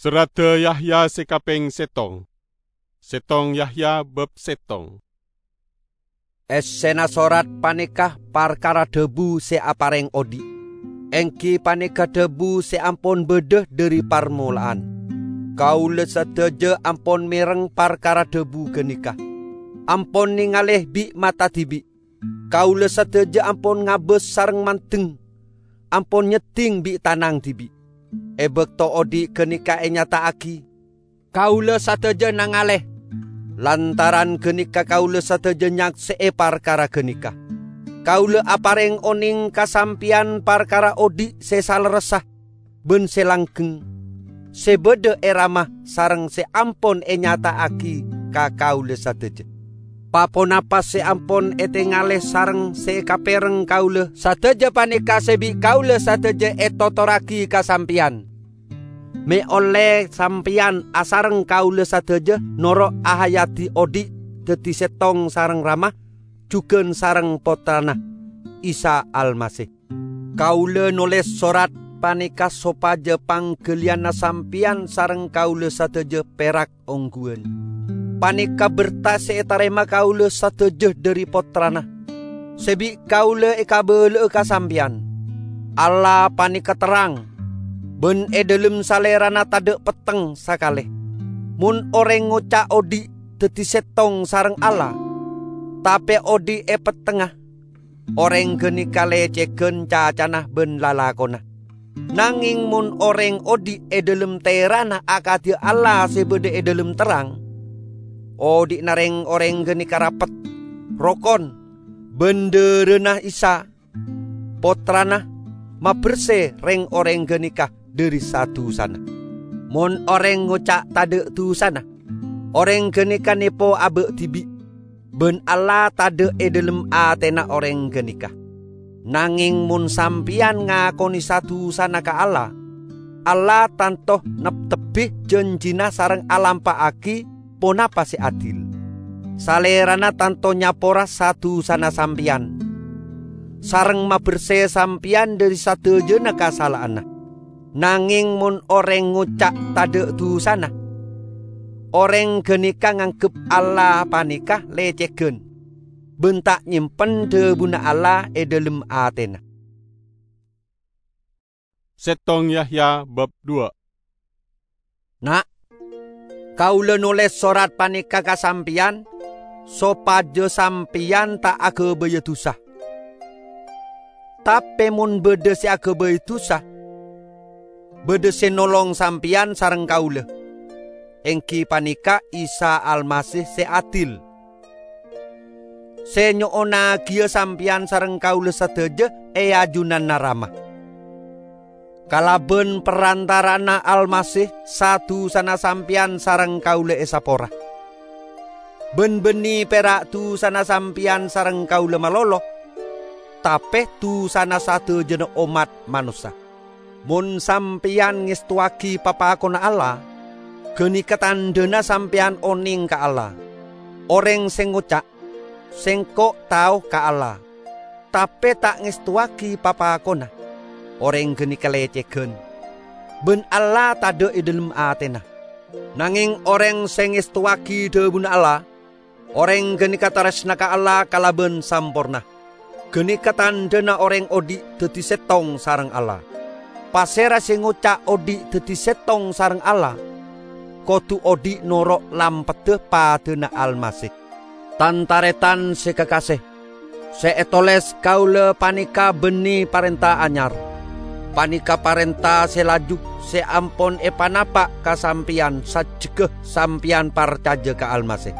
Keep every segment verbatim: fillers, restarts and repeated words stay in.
Serradda Yahya se kapeng settong. Settong Yahya bab settong. Essena sorat paneka parkara dhabu se apareng odhi', enggi paneka dhabu se ampon badha dhari parmola'an. Kaula sadaja ampon mereng parkara dhabu ganeka, ampon nengale bi' mata dibi'. Kaula sadaja ampon ngabas sareng mandeng, ampon nyedding bi' tanang dibi'. E bakto odhi' ganeka enyata'agi, kaula sadaja nangale. Lantaran ganeka kaula sadaja nyakse'e parkara ganeka. Kaula apareng oneng ka sampeyan parkara odhi' se salerressa ban se langgeng, se badha e Rama sareng se ampon enyata'agi ka kaula sadaja. Pa-ponapa se ampon etengale sareng se ekapereng kaula sadaja paneka se bi' kaula sadaja etotorragi ka sampeyan. Me' olle sampeyan asareng kaula sadaja noro' ahayadi odhi' daddi settong sareng Rama, jugan sareng Pottrana, Isa Almasih. Kaula noles sorat paneka sopaja panggaliyanna sampeyan sareng kaula sadaja perak ongguwan. Paneka berta se etarema kaula sadaja dhari Pottrana, se bi' kaula ekabala'a ka sampeyan. Allah paneka terrang, ban e dhalem Salerana tadha' petteng sakale. Mon oreng ngoca' odhi' daddi settong sareng Allah, tape odhi' e pettengnga, oreng ganeka lecegan cacana ban lalakonna. Nangeng mon oreng odhi' e dhalem terana akadhiya Allah se badha e dhalem terrang, odhi'na reng-oreng ganeka rapet, rokon, ban dharana Isa, Pottrana, maberse reng-oreng ganeka dhari sa-dusana. Mon oreng ngoca' tadha' dusana, oreng ganeka nepo aba' dibi', ban Allah tadha' e dhalem atena oreng ganeka. Nangeng mon sampeyan ngakone sa-dusana ka Allah, Allah tanto neptebbi janjina sareng alampa'agi ponapa se adil. Salerana tanto nyapora sa-dusana sampeyan, sareng maberse sampeyan dhari sadajana kasala'anna. Nangeng mon oreng ngoca' tadha' dusana, oreng ganeka nganggep Allah paneka lecegan, ban ta' nyempen dhabuna Allah e dhalem atena. Settong Yahya bab dua. Na', kaula noles sorat paneka ka sampeyan, sopaja sampeyan ta' agabaya dusa. Tape mon badha se agabay dusa, badha se nolong sampeyan sareng kaula, enggi paneka Isa Almasih se adil, se nyo'onagiya sampeyan sareng kaula sadaja e ajunanna Rama. Kalaban parantara'anna Almasih, sa-dusana sampeyan sareng kaula esapora. Ban banne pera' dusana sampeyan sareng kaula malolo, tape dusana sadajana ommat manossa. Mon sampeyan ngestowagi papakonna Allah, ganeka tandhana sampeyan oneng ka Allah. Oreng se ngoca', "Sengko' tao ka Allah," tape ta' ngestowagi papakonna, oreng ganeka lecegan, ban Allah tadha' e dhalem atena. Nangeng oreng se ngestowagi dhabuna Allah, oreng ganeka taresna ka Allah kalaban samporna. Ganeka tandhana oreng odhi' daddi settong sareng Allah. Pasera se ngoca' odhi' daddi settong sareng Allah, kodu odhi' noro' lampedda padana Almasih. Tan-taretan se kakase, se etoles kaula paneka banne parenta anyar. Paneka parenta se laju se ampon epanapa' ka sampeyan sajjegga sampeyan parcaja ka Almasih.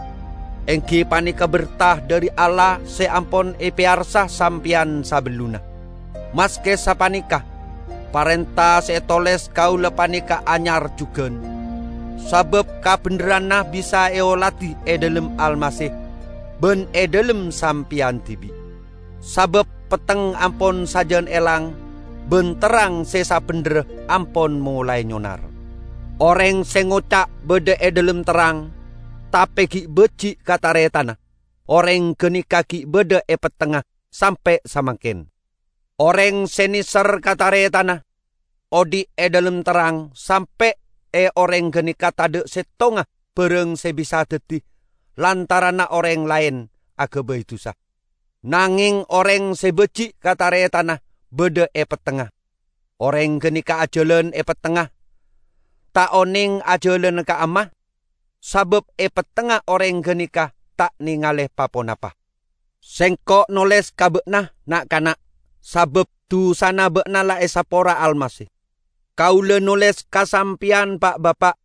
Enggi paneka berta dhari Allah se ampon epeyarsa sampeyan sabellunna. Maske sapaneka, parenta se etoles kaula paneka anyar jugan, sabab kabendherranna bisa eoladi e dhalem Almasih ban e dhalem sampeyan dibi'. Sabab petteng ampon sajan elang, ban terrang se sabendherra ampon molae nyonar. Oreng se ngoca' badha e dhalem terrang, tape gi' baji' ka taretanna, oreng ganeka gi' badha e pettengnga sampe' samangken. Oreng se neser ka taretanna, odhi' e dhalem terrang sampe' è orèng ghânèka tadhâ' sèttonga bârâng sè bisa dhâddhi, lantaranna orèng laèn aghâbây dhusa. Nangèng orèng sè bâji' ka tarètanna bâdâ è pettengnga. Orèng ghânèka ajhâlân è pettengnga, ta' onèng ajhâlâna ka'amma, sabâb è pettengnga orèng ghânèka ta' nèngalè pa-ponapa. Sèngko' nolès ka bâ'na, na'-kana', sabâb dhusana bâ'na la èsapora Almasih. Kaulâ nolès ka sampèyan, Pa'-bapa',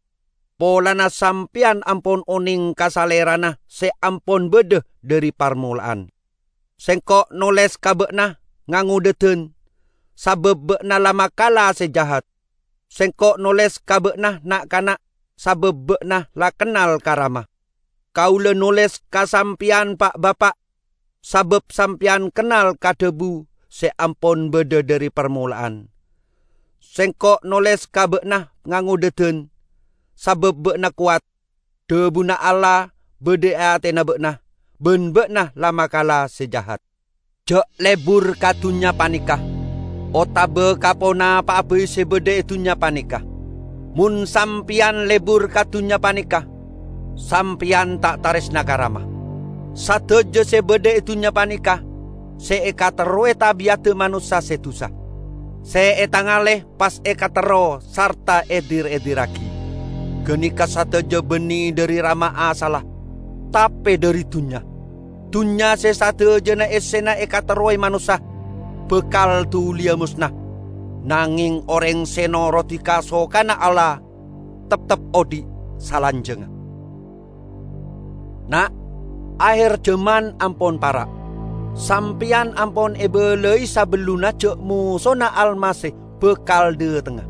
polana sampèyan ampon onèng ka Salèrana sè ampon bâdâ dhâri parmola'an. Sèngko' nolès ka bâ'na ngangodâdhân, sabâb bâ'na la makala sè jahat. Sèngko' nolès ka bâ'na, na'-kana', sabâb bâ'na la kennal ka Rama. Kaulâ nolès ka sampèyan, Pa'-bapa', sabâb sampèyan kennal ka dhâbu sè ampon bâdâ dhâri parmola'an. Sèngko' nolès ka bâ'na ngangodâdhân, sabâb bâ'na kowat. Dhâbuna Allah bâdâ è atèna bâ'na, bân bâ'na la makala sè jahat. Jhâ' lebur ka dhunnya panèka, otabâ ka ponapa'a bhâi sè bâdâ è dhunnya panèka. Mon sampèyan lebur ka dhunnya panèka, sampèyan ta' tarèsna ka Rama. Sadhâjâ sè bâdâ è dhunnya panèka sè èkaterrowè tabi'adda manossa sè dhusa. Sè ètangalè pas èkaterro sarta èdir-èdirraghi. Ghânèka sadhâjâ bânnè dhâri Rama asalla, tapè dhâri dhunnya. Dhunnya sè sadhâjâna èssèna èkaterrowè manossa bhâkal dhuliyâ mosna. Nangèng orèng sè norodhi kasokanna Allah teptep odhi' salanjhângnga. Na', aher jhâman ampon para'. Sampèyan ampon èbâlâi sabellunna jhâ' mosona Almasih bhâkal dhâtengnga.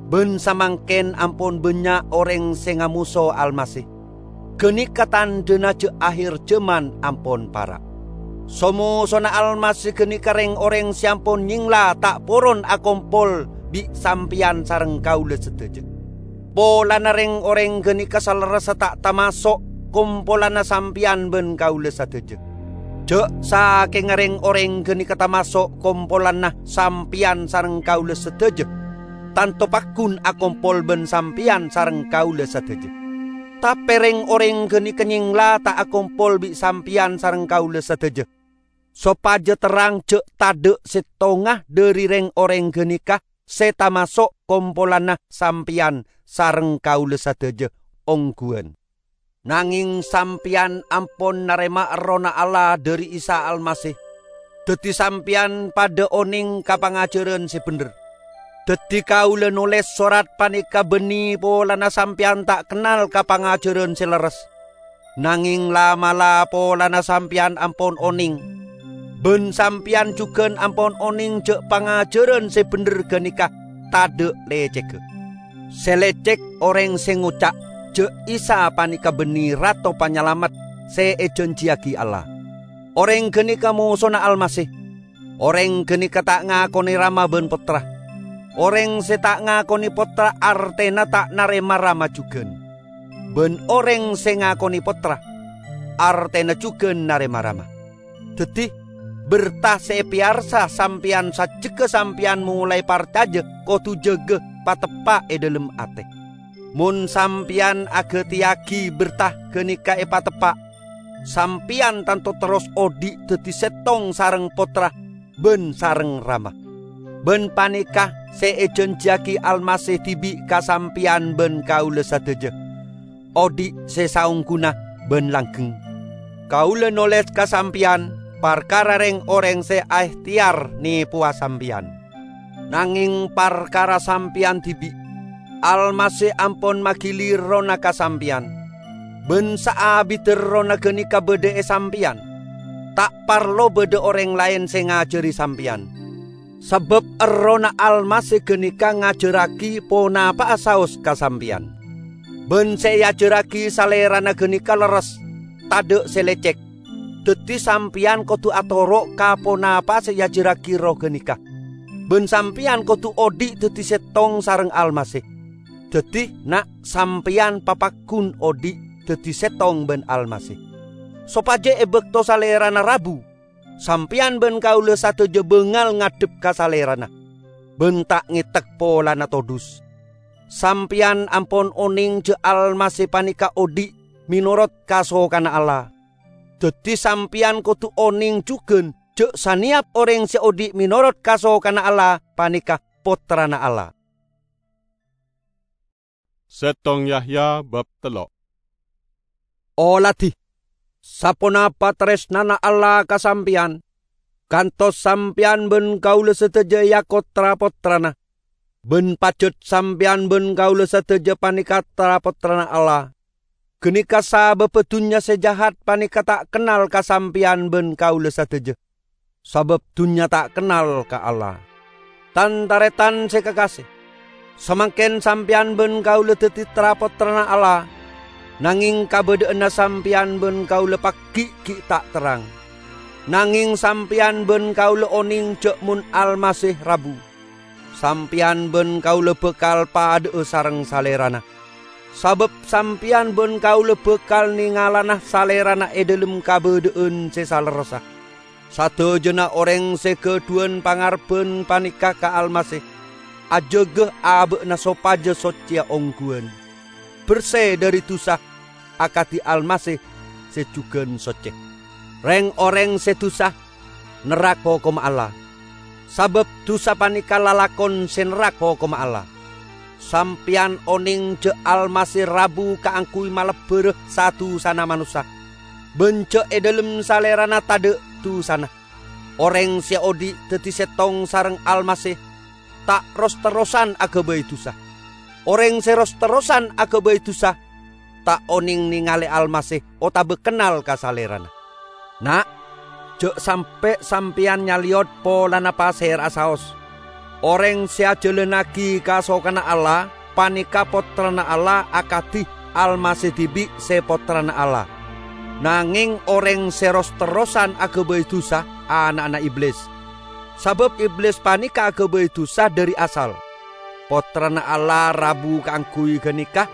Bân samangkèn ampon bânnya' orèng sè ngamoso Almasih. Ghânèka tandhâna jhâ' aher jhâman ampon para'. So-mosona Almasih ghânèka rèng-orèng sè ampon nyèngla ta' poron akompol bi' sampèyan sareng kaulâ sadhâjâ. Polana rèng-orèng ghânèka salerressa ta' tamaso' kompolanna sampèyan bân kaulâ sadhâjâ. Jhâ' sakènga rèng-orèng ghânèka tamaso' kompolanna sampèyan sareng kaulâ sadhâjâ, tanto paggun akompol bân sampèyan sareng kaulâ sadhâjâ. Tapè rèng-orèng ghânèka nyèngla ta' akompol bi' sampèyan sareng kaulâ sadhâjâ, sopajâ terrang jhâ' tadhâ' sèttonga dhâri rèng-orèng ghânèka sè tamaso' kompolanna sampèyan sareng kaulâ sadhâjâ ongghuwân. Nangèng sampèyan ampon narèma Errohna Allah dhâri Isa Almasih, dhâddhi sampèyan padhâ onèng ka pangajhârân sè bhendher. Dhâddhi kaulâ nolès sorat panèka bânnè polana sampèyan ta' kennal ka pangajhârân sè lerres. Nangèng la'-mala' polana sampèyan ampon onèng, bân sampèyan jhughân ampon onèng jhâ' pangajhârân sè bhendher ghânèka tadhâ' lècègghâ. Sè lècèg orèng sè ngoca' jhâ' Isa panèka bânnè Rato Panyalamet sè èjhânjhiyaghi Allah. Orèng ghânèka mosona Almasih. Orèng ghânèka ta' ngakonè Rama bân Pottra. Orèng sè ta' ngakonè Pottra artèna ta' narèma Rama jhughân. Bân orèng sè ngakonè Pottra, artèna jhughân narèma Rama. Dhâddhi, berta sè èpèyarsa sampèyan sajjhegghâ sampèyan molaè parcajâ kodhu jâgâ pateppa' è dhâlem atè. Mon sampèyan aghâtèyaghi berta ghânèka èpateppa', sampèyan tanto terros odhi' dhâddhi sèttong sareng Pottra bân sareng Rama. Bân panèka sè èjhânjhiyaghi Almasih dhibi' ka sampèyan bân kaulâ sadhâjâ, odhi' sè saongghuna bân langgheng. Kaulâ nolès ka sampèyan parkara rèng-orèng sè aèhtèyar nèpowa sampèyan. Nangèng parkara sampèyan dhibi', Almasih ampon magili Errohna ka sampèyan. Bân saabiddhâ Errohna ghânèka bâdâ è sampèyan. Ta' parlo bâdâ orèng laèn sè ngajhâri sampèyan. Sabâb Errohna Almasih ghânèka ngajhârraghi ponapa'a saos ka sampèyan. Bân sè èajhârraghi Salèrana ghânèka lerres, tadhâ' sè lècèg. Dhâddhi sampèyan kodhu atoro' ka ponapa sè èajhârraghi Erroh ghânèka. Bân sampèyan kodhu odhi' dhâddhi sèttong sareng Almasih. Dhâddhi, na', sampèyan papaggun odhi' dhâddhi sèttong bân Almasih. Sopajâ è bâkto Salèrana rabu, sampèyan bân kaulâ sadhâjâ bângal ngadhep ka Salèrana, bân ta' ngètek polana todus. Sampèyan ampon onèng jâ' Almasih panèka odi' mènorot kasokanna Allah. Dhâddhi sampèyan kodhu onèng jhughân jâ' sanèyap orèng sè odi' mènorot kasokanna Allah panèka pottrana Allah. Settong Yahya bab tello'. Oladhi, saponapa tarèsnana Allah ka sampèyan, kantos sampèyan bân kaulâ sadhâjâ èako tra-pottrana, bân pajhât sampèyan bân kaulâ sadhâjâ panèka tra-pottrana Allah. Ghânèka sabâbbhâ dhunnya sè jahat panèka ta' kennal ka sampèyan bân kaulâ sadhâjâ, sabâb dhunnya ta' kennal ka Allah. Tan-tarètan sè kakasè, samangkèn sampèyan bân kaulâ dhâddhi tra-pottrana Allah, nangèng kabâdâ'ânna sampèyan bân kaulâ pagghi' ghi' ta' terrang. Nangèng sampèyan bân kaulâ onèng jâ' mon Almasih rabu, sampèyan bân kaulâ bhâkal padâ'â sareng Salèrana, sabâb sampèyan bân kaulâ bhâkal nèngalana Salèrana è dhâlem kabâdâ'ân sè salerressa. Sadhâjâna orèng sè ghâdhuwân pangarebbhân panèka ka Almasih, ajâgâ abâ'na sopajâ soccèya ongghuwân, bersè dhâri dhusa akadhi Almasih sè jhughân soccè. Rèng-orèng sè dhusa nerrak hokomma Allah, sabâb dhusa panèka lalakon sè nerrak hokomma Allah. Sampèyan onèng jâ' Almasih rabu kaangghuy malebbhârâ sa-dhusana manossa, bân jâ' è dhâlem Salèrana tadâ' dhusana. Orèng sè odi' dhâddhi sèttong sareng Almasih ta' ros-terrosan aghâbây dhusa. Orèng sè ros-terrosan aghâbây dhusa ta' onèng nèngalè Almasih otabâ kennal ka Salèrana. Na', jâ' sampè' sampèyan nyalèyot polana pasèra'a saos. Orèng sè ajhâlânnaghi kasokanna Allah panèka pottrana Allah akadhi Almasih dhibi' sè pottrana Allah. Nangèng orèng sè ros-terrosan aghâbây dhusa ana'na Iblis, sabâb Iblis panèka aghâbây dhusa dhâri asal. Pottrana Allah rabu kaangghuy ghânèka,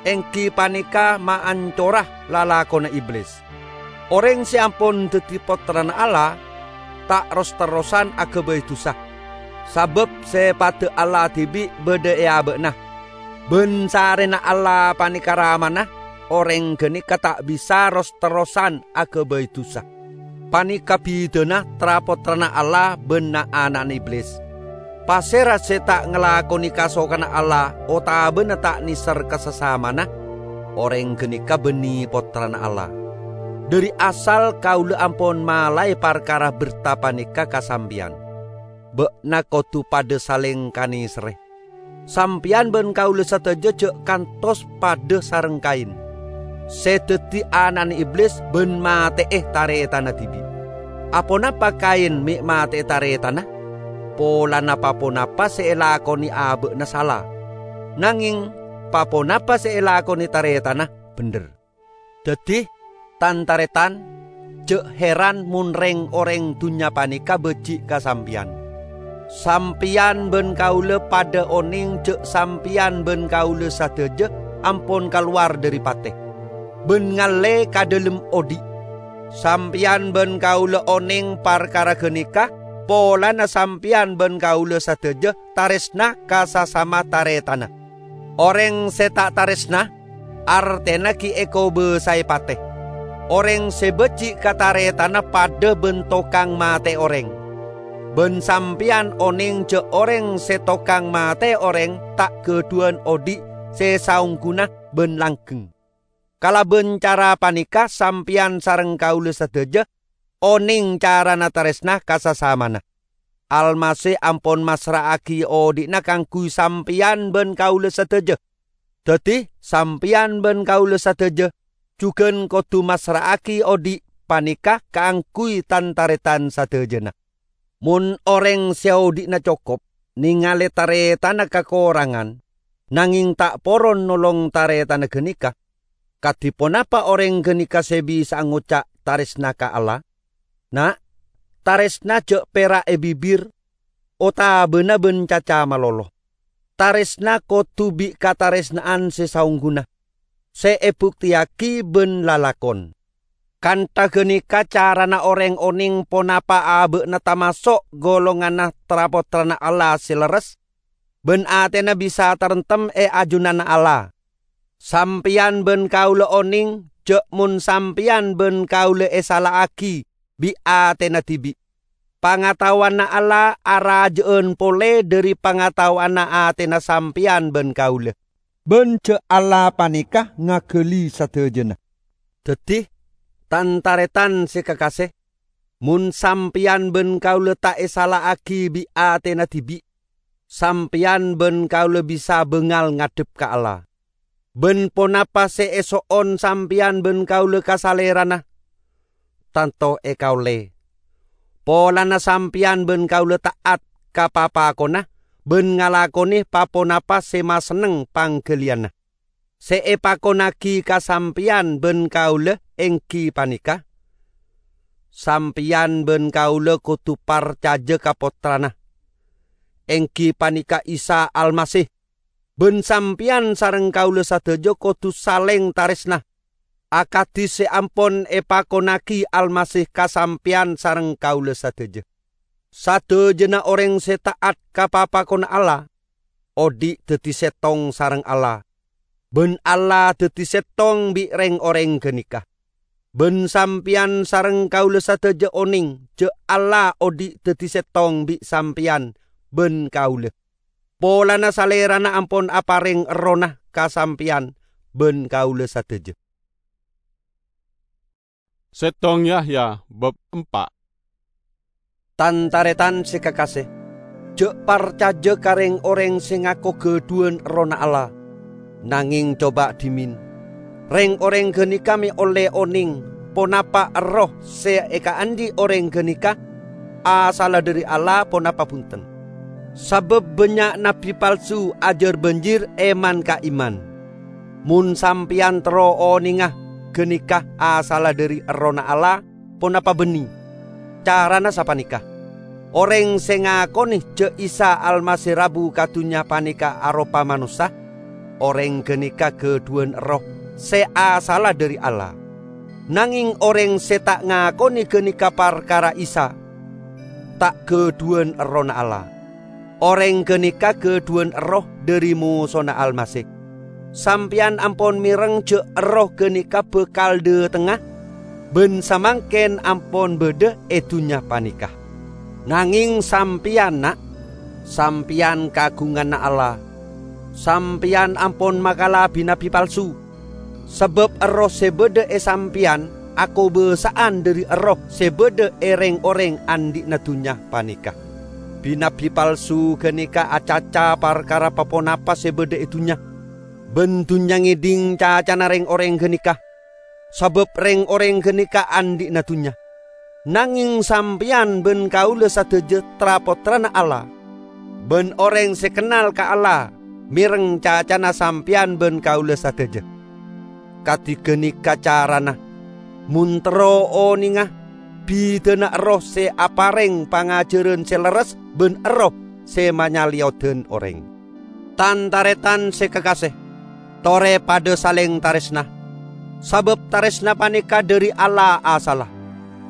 èngghi panèka maancora lalakonna Iblis. Orèng sè ampon dhâddhi pottrana Allah ta' ros-terrosan aghâbây dhusa, sabâb sè padâ Allah dhibi' bâdâ è abâ'na. Bân sarèna Allah panèka Ramana, orèng ghânèka ta' bisa ros-terrosan aghâbây dhusa. Panèka bhidhâna tra-pottrana Allah bân na'-ana'na Iblis. Pasèra sè ta' ngalakonè kasokanna Allah otabâna ta' nèser ka sasamana, orèng ghânèka bânnè pottrana Allah. Dhâri asal kaulâ ampon malaè parkara bertà panèka ka sampèyan. Bâ'na kodhu padâ salèng kanèserrè. Sampèyan bân kaulâ sadhâjâ jâ' kantos padâ sareng Kain, sè dhâddhi ana'na Iblis bân matè'è tarètanna dhibi'. Aponapa Kain mè' matè'è tarètanna? Polana pa-ponapa sè èlakonè abâ'na sala, nangèng pa-ponapa sè èlakonè tarètanna bhendher. Dhâddhi, tan-tarètan, jâ' heran mon rèng-orèng dhunnya panèka bâji' ka sampèyan. Sampèyan bân kaulâ padâ onèng jâ' sampèyan bân kaulâ sadhâjâ ampon kalowar dhâri patè, bân ngallè ka dhâlem odi'. Sampèyan bân kaulâ onèng parkara ghânèka polana sampèyan bân kaulâ sadhâjâ tarèsna ka sasama tarètanna. Orèng sè ta' tarèsna, artèna ghi' èkobâsaè patè. Orèng sè bâji' ka tarètanna padâ bân tokang matè'è orèng. Bân sampèyan onèng jâ' orèng sè tokang matè'è orèng ta' ghâdhuwân odi' sè saongghuna bân langgheng. Kalabân cara panèka sampèyan sareng kaulâ sadhâjâ onèng carana tarèsna ka sasamana. Almasih ampon massra'aghi odi'na kaangghuy sampèyan bân kaulâ sadhâjâ. Dhâddhi, sampèyan bân kaulâ sadhâjâ jhughân kodhu massra'aghi odi' panèka kaangghuy tan-tarètan sadhâjâna. Mon orèng sè odi'na cokop nèngalè tarètanna kakorangan, nangèng ta' poron nolong tarètanna ghânèka, kadhi ponapa orèng ghânèka sè bisa'a ngoca' tarèsna ka Allah? Na', tarèsna jâ' pèra' è bibir otabâna bân caca malolo. Tarèsna kodhu bi' katarèsna'an sè saongghuna, sè èbuktèyaghi bân lalakon. Kantha ghânèka carana orèng onèng ponapa abâ'na tamaso' golonganna tra-pottrana Allah sè lerres. bân atèna bisa taremtem è ajunanna Allah. Sampèyan bân kaulâ onèng jhâ' mon sampèyan bân kaulâ èsala'aghi bi' atèna dhibi', pangataowanna Allah arajâ'ân polè dhâri pangataowanna atèna sampèyan bân kaulâ. Bân jhâ' Allah panèka ngaghâli sadhâjâna. Dhâddhi, tan-tarètan sè kakasè, mon sampèyan bân kaulâ ta' èsala'aghi bi' atèna dhibi', sampèyan bân kaulâ bisa bângal ngadhep ka Allah. Bân ponapa sè èso'on sampèyan bân kaulâ ka Salèrana, tanto èkaollè. Polana sampèyan bân kaulâ ta'at ka papakonna bân ngalakonè pa-ponapa sè masenneng pangghâliyânna. Sè èpakonnaghi ka sampèyan bân kaulâ èngghi panèka: Sampèyan bân kaulâ kodhu parcajâ ka Pottrana, èngghi panèka Isa Almasih. Bân sampèyan sareng kaulâ sadhâjâ kodhu salèng tarèsna, akadhi sè ampon èpakonnaghi Almasih ka sampèyan sareng kaulâ sadhâjâ. Sadhâjâna orèng sè ta'at ka papakonna Allah, odi' dhâddhi sèttong sareng Allah, bân Allah dhâddhi sèttong bi' rèng-orèng ghânèka. Bân sampèyan sareng kaulâ sadhâjâ onèng jhâ' Allah odi' dhâddhi sèttong bi' sampèyan bân kaulâ, polana Salèrana ampon aparèng Errohna ka sampèyan bân kaulâ sadhâjâ. Sèttong Yahya bab empa'. Tan-tarètan sè kakasè, jhâ' parcajâ ka rèng-orèng sè ngako ghâdhuwân Errohna Allah. Nangèng coba dhimèn, rèng-orèng ghânèka mè' ollè onèng ponapa erroh sè èkaandhi' orèng ghânèka asalla dhâri Allah ponapa bhunten. Sabâb bânnya' nabbhi palsu ajhâr-bânjhir èman ka èman. Mon sampèyan terro onènga ghânèka asalla dhâri Errohna Allah ponapa bânnè, carana sapanèka: orèng sè ngakonè jhâ' Isa Almasih rabu ka dhunnya panèka aropa manossa, orèng ghânèka ghâdhuwân erroh sè asalla dhâri Allah. Nangèng orèng sè ta' ngakonè ghânèka parkara Isa, ta' ghâdhuwân Errohna Allah. Orèng ghânèka ghâdhuwân erroh dhâri mosona Almasih. Sampèyan ampon mèreng jhâ' erroh ghânèka bhâkal dhâtengnga, bân samangkèn ampon bâdâ è dhunnya panèka. Nangèng sampèyan, na', sampèyan kaagunganna Allah. Sampèyan ampon makala bi-nabbhi palsu. Sabâb erroh sè bâdâ è sampèyan akobâsa'an dhâri erroh sè bâdâ è rèng-orèng andhi'na dhunnya panèka. Bi-nabbhi palsu ghânèka acaca parkara pa-ponapa sè bâdâ è dhunnya, bân dhunnya ngèdhing cacana rèng-orèng ghânèka, sabâb rèng-orèng ghânèka andhi'na dhunnya. Nangèng sampèyan bân kaulâ sadhâjâ tra-pottrana Allah, bân orèng sè kennal ka Allah mèreng cacana sampèyan bân kaulâ sadhâjâ. Kadhi ghânèka carana, mon terro onènga bidhâna erroh sè aparèng pangajhârân sè lerres bân erroh sè manyalèyoddhân orèng. Tan-tarètan sè kakasè, torè padâ salèng tarèsna, sabâb tarèsna panèka dhâri Allah asalla.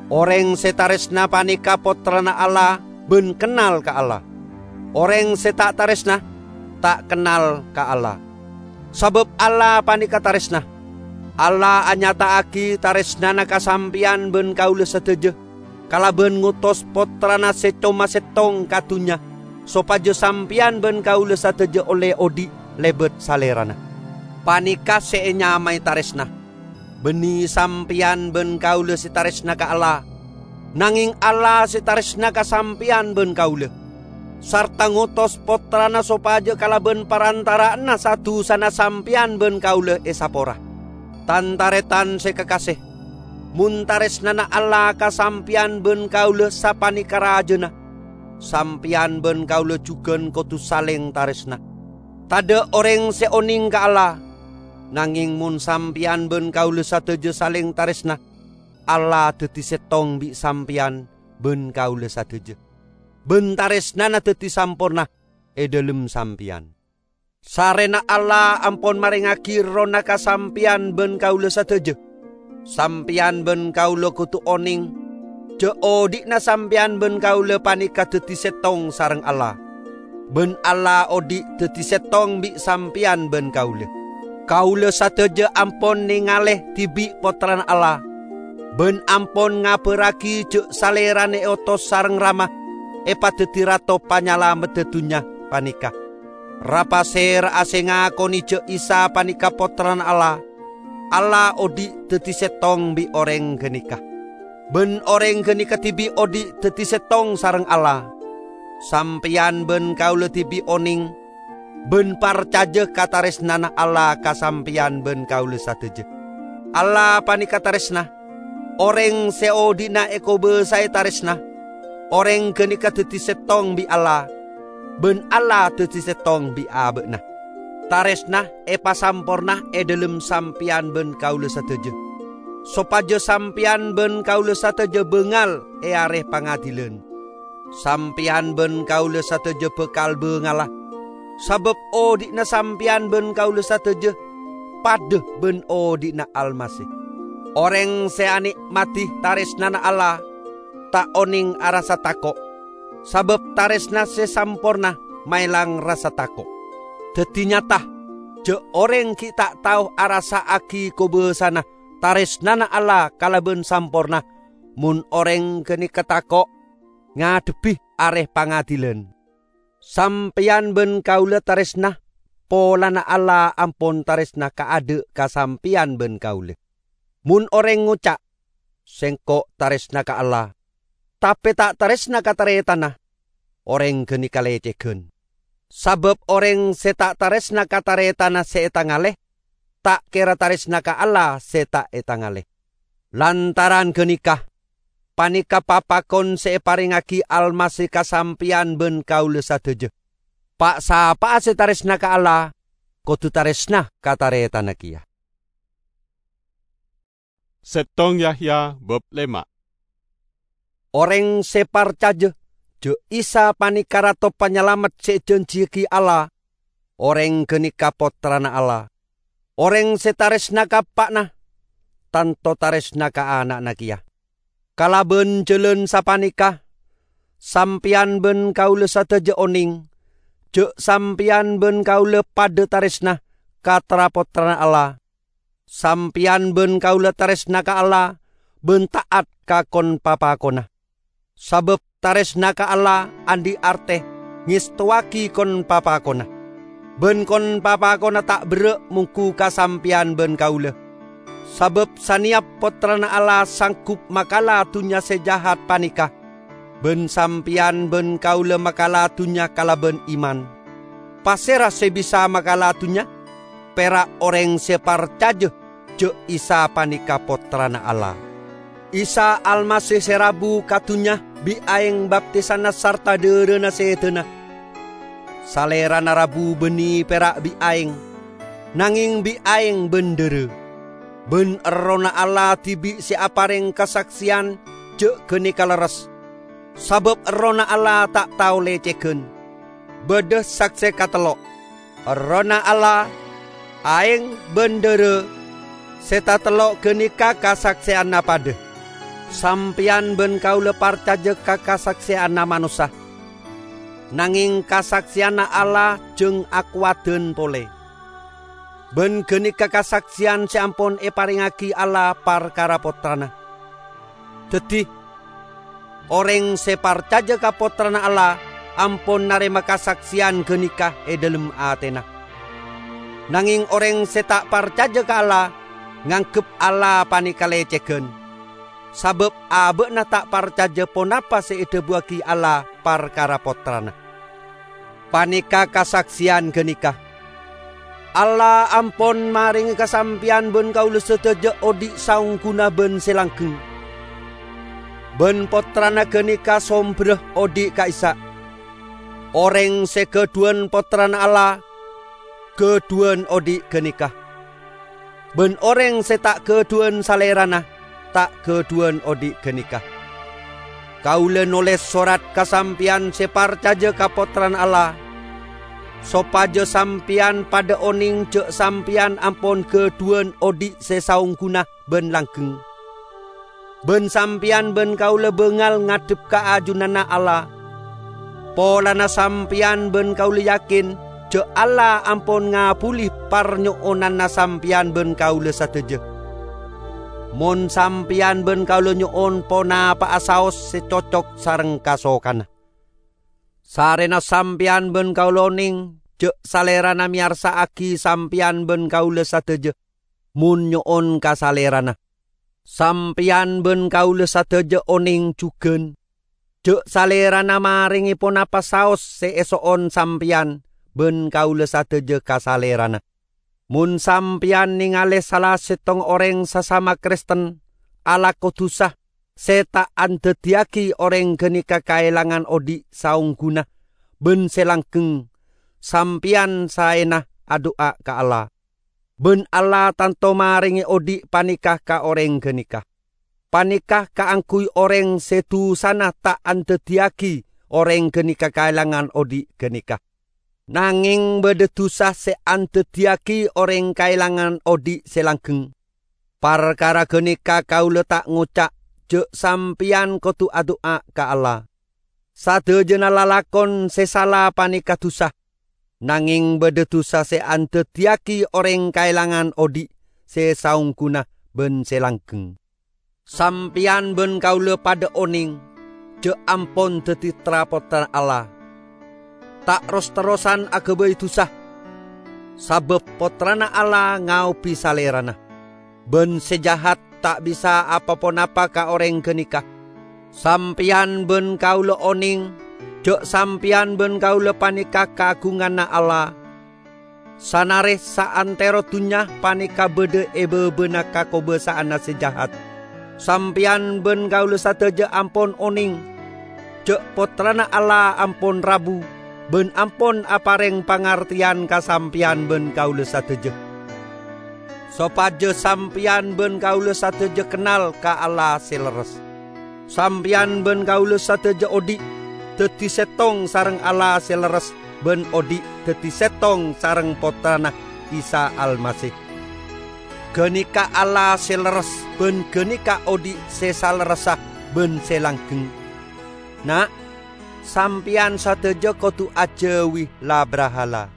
Orèng sè tarèsna panèka pottrana Allah bân kennal ka Allah. Orèng sè ta' tarèsna, ta' kennal ka Allah. Sabâb Allah panèka tarèsna. Allah anyata'aghi tarèsnana ka sampèyan bân kaulâ sadhâjâ, kalabân ngotos Pottrana sè coma sèttong ka dhunnya, sopajâ sampèyan bân kaulâ sadhâjâ ollè odi' lèbât Salèrana. Panèka sè ènyamaè tarèsna. Bânnè sampèyan bân kaulâ sè tarèsna ka Allah, nangèng Allah sè tarèsna ka sampèyan bân kaulâ, sarta ngotos Pottrana sopajâ kalabân parantara'anna sa-dusana sampèyan bân kaulâ èsapora. Tan-tarètan sè kakasè, mon tarèsnana Allah ka sampèyan bân kaulâ sapanèka rajâna, sampèyan bân kaulâ jhughân kodhu salèng tarèsna. Tadâ' orèng sè onèng ka Allah, nangèng mon sampèyan bân kaulâ sadhâjâ salèng tarèsna, Allah dhâddhi sèttong bi' sampèyan bân kaulâ sadhâjâ, bân tarèsnana dhâddhi samporna è dhâlem sampèyan. Sarèna Allah ampon marèngaghi Errohna ka sampèyan bân kaulâ sadhâjâ. Sampèyan bân kaulâ kodhu onèng jhâ' odi'na sampèyan bân kaulâ panèka dhâddhi sèttong sareng Allah. Bân Allah odhi' dhâddhi sèttong bi' sampèyan bân kaulâ. Kaulâ sadhâjâ ampon nèngalè dhibi' Pottrana Allah, bân ampon ngabhârraghi jhâ' Salèrana èotos sareng Rama èpadhâddhi Rato Panyalameddhâ dhunnya panèka. Ra-pasèra'a sè ngakonè jhâ' Isa panèka Pottrana Allah, Allah odhi' dhâddhi sèttong bi' orèng ghânèka. Bân orèng ghânèka dhibi' odhi' dhâddhi sèttong sareng Allah. Sampèyan bân kaulâ dhibi' onèng bân parcajâ ka tarèsnana Allah ka sampèyan bân kaulâ sadhâjâ. Allah panèka tarèsna. Orèng sè odhi'na èkobâsaè tarèsna, orèng ghânèka dhâddhi sèttong bi' Allah, bân Allah dhâddhi sèttong bi' abâ'na. Tarèsna èpasamporna è dhâlem sampèyan bân kaulâ sadhâjâ, sopajâ sampèyan bân kaulâ sadhâjâ bângal è Arè Pangadhilan. Sampèyan bân kaulâ sadhâjâ bhâkal bângalla, sabâb odhi'na sampèyan bân kaulâ sadhâjâ padâ bân odhi'na Almasih. Orèng sè anè'madhi tarèsnana Allah ta' onèng arassa tako', sabâb tarèsna sè samporna maèlang rassa tako'. Dhâddhi nyata jhâ' orèng ghi' ta' tao arassa'aghi kobâsana tarèsnana Allah kalabân samporna, mon orèng ghânèka tako' ngadhebbhi Arè Pangadhilan. Sampèyan bân kaulâ tarèsna polana Allah ampon tarèsna kaadâ' ka sampèyan bân kaulâ. Mon orèng ngoca', "Sèngko' tarèsna ka Allah," tapè ta' tarèsna ka tarètanna, orèng ghânèka lècèghân. Sabâb orèng sè ta' tarèsna ka tarètanna sè ètangalè, ta' kèra tarèsna ka Allah sè ta' ètangalè. Lantaran ghânèka, panèka papakon sè èparèngaghi Almasih ka sampèyan bân kaulâ sadhâjâ. Pa'-sapa'a sè tarèsna ka Allah, kodhu tarèsna ka tarètanna kèya. Sèttong Yahya bab lèma'. Orèng sè parcajâ jhâ' Isa panèka Rato Panyalamet sè èjhânjhiyaghi Allah, orèng ghânèka Pottrana Allah. Orèng sè tarèsna ka eppa'na, tanto tarèsna ka ana'na kèya. Kalabân jhâlân sapanèka, sampèyan bân kaulâ sadhâjâ onèng jhâ' sampèyan bân kaulâ padâ tarèsna ka tra-pottrana Allah. Sampèyan bân kaulâ tarèsna ka Allah bân ta'at ka kon-papakonna. Sabâb tarèsna ka Allah andi' artè ngèstowaghi kon-papakonna. Bân kon-papakonna ta' berrâ' mongghu ka sampèyan bân kaulâ. Sabâb sanèyap Pottrana Allah sanggup makala dhunnya sè jahat panèka, bân sampèyan bân kaulâ makala dhunnya kalabân iman. Pasèra sè bisa makala dhunnya? Pèra' orèng sè parcajâ jhâ' Isa panèka Pottrana Allah. Isa Almasih sè rabu ka dhunnya bi' aèng baptisanna sarta dârâna sèdhâna. Salèrana rabu bânnè pèra' bi' aèng, nangèng bi' aèng bân dârâ. Bân Errohna Allah dhibi' sè aparèng kasaksèyan jhâ' ghânèka lerres, sabâb Errohna Allah ta' tao lècèghân. Bâdâ saksè katello', Errohna Allah, aèng bân dârâ, sè tatello' ghânèka kasaksèyanna padâ. Sampèyan bân kaulâ parcajâ ka kasaksèyanna manossa, nangèng kasaksèyanna Allah jhâng akowadhân polè. Bân ghânèka kasaksèyan sè ampon èparèngaghi Allah parkara Pottrana. Dhâddhi, orèng sè parcajâ ka Pottrana Allah ampon narèma kasaksèyan ghânèka è dhâlem atèna. Nangèng orèng sè ta' parcajâ ka Allah nganggep Allah panèka lècèghân, sabâb abâ'na ta' parcajâ ponapa sè èdhâbuwaghi Allah parkara Pottrana. Panèka kasaksèyan ghânèka: Allah ampon marèngè ka sampèyan bân kaulâ sadhâjâ odhi' saongghuna bân sè langghâng. Bân Pottrana ghânèka sombherra odhi' ka'issa'. Orèng sè ghâdhuwân Pottrana Allah, ghâdhuwân odhi' ghânèka. Bân orèng sè ta' ghâdhuwân Salèrana, ta' ghâdhuwân odhi' ghânèka. Kaulâ nolès sorat ka sampèyan sè parcajâ ka Pottrana Allah, sopajâ sampèyan padâ onèng jhâ' sampèyan ampon ghâdhuwân odhi' sè saongghuna bân langghâng. Bân sampèyan bân kaulâ bângal ngadhep ka ajunanna Allah. Polana sampeyan ban kaula yakin ja' Allah ampon ngabuli parnyo'onanna sampeyan ban kaula sadaja. Mon sampeyan ban kaula nyo'on ponapa'a saos se cocok sareng kasokanna. Sarrena sampeyan ban kaula oneng ja' Salerana meyarsa'agi sampeyan ban kaula sadaja, mon nyo'on ka Salerana. Sampeyan ban kaula sadaja oneng jugan ja' Salerana marenge ponapa saos se eso'on sampeyan ban kaula sadaja ka Salerana. Mon sampeyan nengale sala settong oreng sasama Kristen alako dusa se ta' andaddiyagi oreng ganeka kaelangan odhi' saongguna ban se langgeng, sampeyan saena adu'a ka Allah. Ban Allah tanto marenge odhi' paneka ka oreng ganeka. Paneka kaangguy oreng se dusana ta' andaddiyagi oreng ganeka kaelangan odhi' ganeka. Nangeng badha dusa se andaddiyagi oreng kaelangan odhi' se langgeng. Parkara ganeka kaula ta' ngoca' ja' sampeyan kodu adu'a ka Allah. Sadajana lalakon se sala paneka dusa, nangeng badha dusa se andaddiyagi oreng kaelangan odhi' se saongguna ban se langgeng. Sampeyan ban kaula padha oneng ja' ampon daddi tra-pottrana Allah, ta' ros-terrosan agabay dusa, sabab Pottrana Allah ngaobi Salerana. Ban se jahat ta' bisa apa-ponapa ka oreng ganeka. Sampeyan ban kaula oneng ja' sampeyan ban kaula paneka kaagunganna Allah. Sanare saantero dunnya paneka badha e babana kakobasa'anna se jahat. Sampeyan ban kaula sadaja ampon oneng ja' Pottrana Allah ampon rabu ban ampon apareng pangarteyan ka sampeyan ban kaula sadaja, sopaja sampeyan ban kaula sadaja kennal ka Allah se lerres. Sampeyan ban kaula sadaja odhi' daddi settong sareng Allah se lerres ban odhi' daddi settong sareng Pottrana, Isa Almasih. Ganeka Allah se lerres ban ganeka odhi' se salerressa ban se langgeng. Na', sampeyan sadaja kodu ajauwi la-brahala.